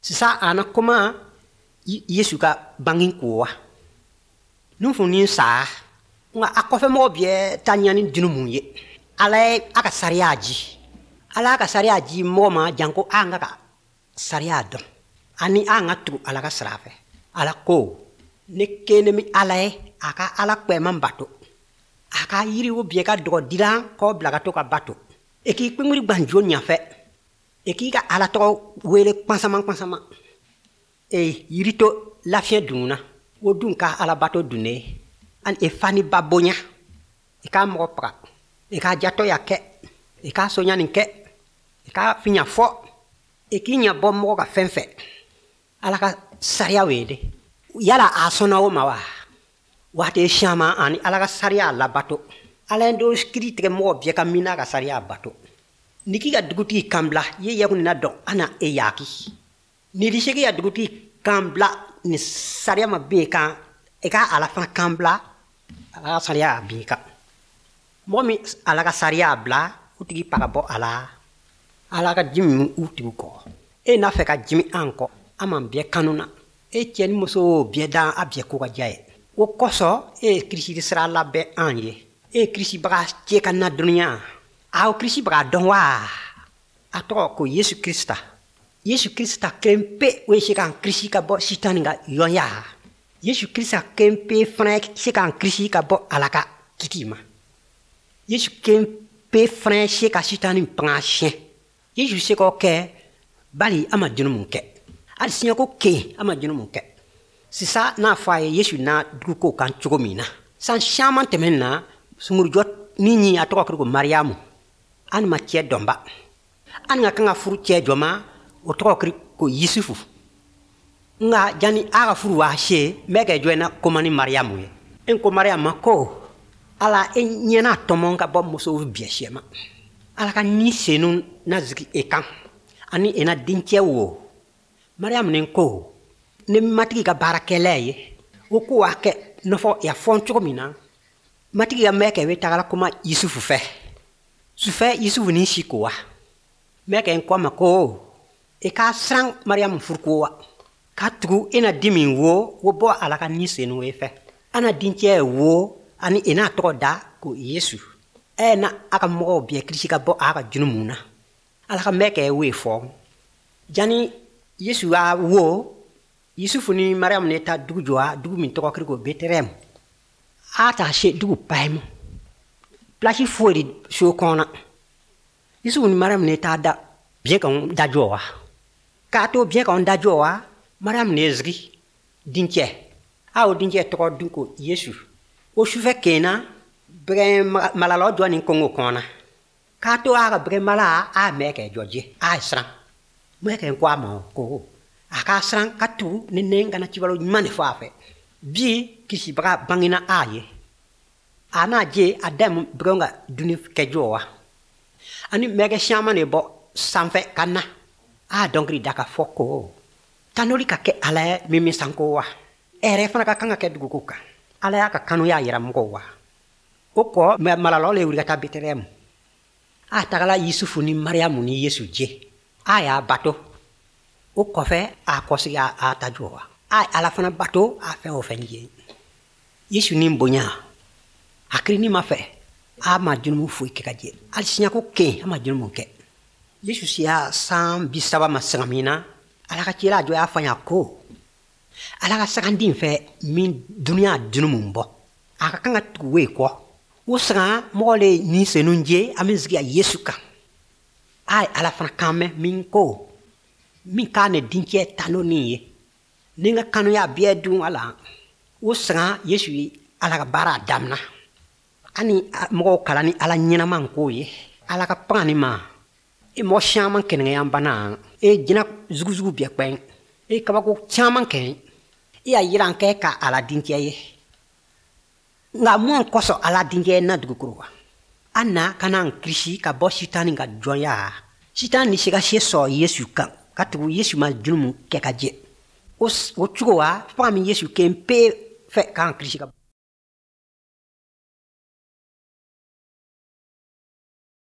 Sisan a na kuma Yesu ka bangi ko wa. Nuhun ni sa nka a kɔfɛmɔgɔ bɛɛ ta ɲa ni junumu ye. Ala ye a ka sariya ji. Ala ka sariya ji mɔgɔ ma janko an ka sariya dɔn ani an ka tugu Ala ka sira fɛ. Ala ko ne kelen min Ala ye, a ka Ala kpɛman bato, a ka yiriw bɛɛ ka dɔgɔ dilan k'o bila ka to ka bato, e k'i kpɛnwuri gbanjo ɲɛfɛ, e k'i ka Ala tɔgɔ wele kpansama kpansama, e yiri to lafiɲɛ dun na, o dun ka Ala bato dunnen, ani e fa ni ba bonya, i k'a mɔgɔ faga, i k'a jatɔya kɛ, i k'a soɲani kɛ, i k'a fiɲɛ fɔ, i k'i ɲɛ bɔ mɔgɔ ka fɛn fɛ. Ala ka sariya wele. Yala a sɔnna o ma wa? Waati caman ani Ala ka sariya labato. Ala ye dɔ kiri tigɛ mɔgɔ bɛɛ ka min n'a ka sariya bato. N'i k'i ka dugutigi kan bila, i ye yakun na dɔn, a na e yaki. N'i di se k'i ka dugutigi kan bila ni sariya ma bin kan, i ka Ala fana kan bila, Ala ka sariya bin kan. Mɔgɔ min Ala ka sariya bila, o tigi pa ka bɔ a la. Ala ka ji min u tigi kɔ. E n'a fɛ ka jimi an kɔ, an m'an bɛɛ kanu na. E cɛ ni muso bɛɛ dan a bɛɛ ko ka diya ye. O kosɔn e ye Kirisi sira labɛn an ye. E ye Kirisibaga cɛ ka na dunuya. Aw Kirisibaga dɔn wa? A tɔgɔ ko Yesu Krista. Yesu Krista kelen pe o ye se k'an kirisi ka bɔ Sitani ka yɔnya. Yesu Krista kelen pe fana ye se k'an kirisi ka bɔ Ala ka kiti ma. Yesu kelen pe fana ye se ka Sitani fanga siɲɛ. Yesu se k'o kɛ bali a ma jurumu kɛ. Hali siɲɛko kelen a ma jurumu kɛ. Sisan n'a fɔ a ye Yesu na duguko kan cogo min na. San caman tɛmɛnen na, sungurujɔ ni ɲi a tɔgɔ kɛra ko Mariyamu. An ma cɛ dɔnba. An ka kan ka furu cɛ jɔ ma, o tɔgɔ kɛra ko Yusufu. Nka jani a ka furu wa se, n bɛ kɛ jɔ na koma ni Mariyamu ye. N ko Mariyamu ma ko Ala e ɲɛna tɔmɔ ka bɔ musow bɛɛ sɛ ma. Ala ka ni senu na jigin e kan ani e na dencɛ wo. Mariyamu ni ko ne matigi ka baarakɛla ye, o ko a kɛ nɔfɔ ya fɔ cogo min na, matigi ka mɛkɛ bɛ tagala kuma Yusufu fɛ. Sufɛ Yusufu ni si ko wa. Mɛkɛ n ko a ma ko e ka siran Mariyamu furu ko wa. Ka tugu e na di min wo, wo bɔ Ala ka ni senu e fɛ. A na dencɛ wo ani e n'a tɔgɔ da ko Yesu. E na a ka mɔgɔw bɛɛ kirisi ka bɔ a ka jurumu na. Ala ka mɛkɛ wo fɔ. Jani Yesu y'a wo, Yusufu ni Mariyamu ne ta dugu jɔ dugu min tɔgɔ kɛra ko Betelehɛm. A ta se dugu payimu. Pilasi foyi de so kɔnɔ. Yusufu ni Mariyamu ne ta da biɲɛ kan da jɔ wa. K'a to biɲɛ kan da jɔ wa, Mariyamu ne zigi dencɛ. A o dencɛ tɔgɔ dun ko Yesu. O sufɛ kena bɛgɛn malalɔ jɔ ni kongo kɔnɔ. K'a to a ka bɛgɛn mala a mɛ kɛ jɔ je a ye siran. Mɛ kɛ ko a ma ko a ka siran ka tugu ni ne kana cibalo ɲuman de fɔ a fɛ. Bi kisibaga bangena a ye. A n'a je a dɛmɛ bɛgɛn ka dunni kɛ jɔ wa. Ani mɛkɛ caman de bɔ sanfɛ ka na. A dɔnkili da ka fɔ ko tanuli ka kɛ Ala ye min min sanko wa. Hɛrɛ fana ka kan ka kɛ duguko kan. Ala y'a ka kanuya yira mɔgɔw wa. O kɔ malalɔ le wuli ka taa Betelehɛm. A tagala Yusufu ni Mariyamu ni Yesu je. A y'a bato. O kɔfɛ a kɔsigi a ta jɔ wa. A Ala fana bato a fɛn o fɛn je. Yesu ni bonya. A kirini ma fɛ. A ma jurumu foyi kɛ ka jɛ. Hali siɲɛko kelen a ma jurumu kɛ. Yesu siya san 30 ma sanga min na, Ala ka cila jɔ y'a fɔ a ko Ala ka saganden fɛ min dunuya jurumu bɔ. A ka kan ka tugu o kɔ. O sanga mɔgɔ le ni senu je a min sigi a Yesu kan. A ye Ala fana kan mɛn min ko min k'a ne dencɛ tanu nin ye. Ni n ka kanuya bɛɛ dun a la. O sanga Yesu ye Ala ka baara damina. Ani mɔgɔw kalan ni Ala ɲɛnama ko ye. Ala ka pangani ma. E mɔgɔ caman kɛnɛya bana. E jinɛ zuguzugu bɛɛ kpɛn. E kabako caman kɛ. E y'a yira an kɛ ka Ala dencɛ ye. Nka mun kosɔn Ala dencɛ na dugukolo wa? An na ka na an kirisi ka bɔ Sitani ka jɔnya. Sitani ni se ka se sɔrɔ Yesu kan ka tugu Yesu ma jurumu kɛ ka jɛ. O cogo wa, fanga min Yesu kelen pe fɛ k'an kirisi ka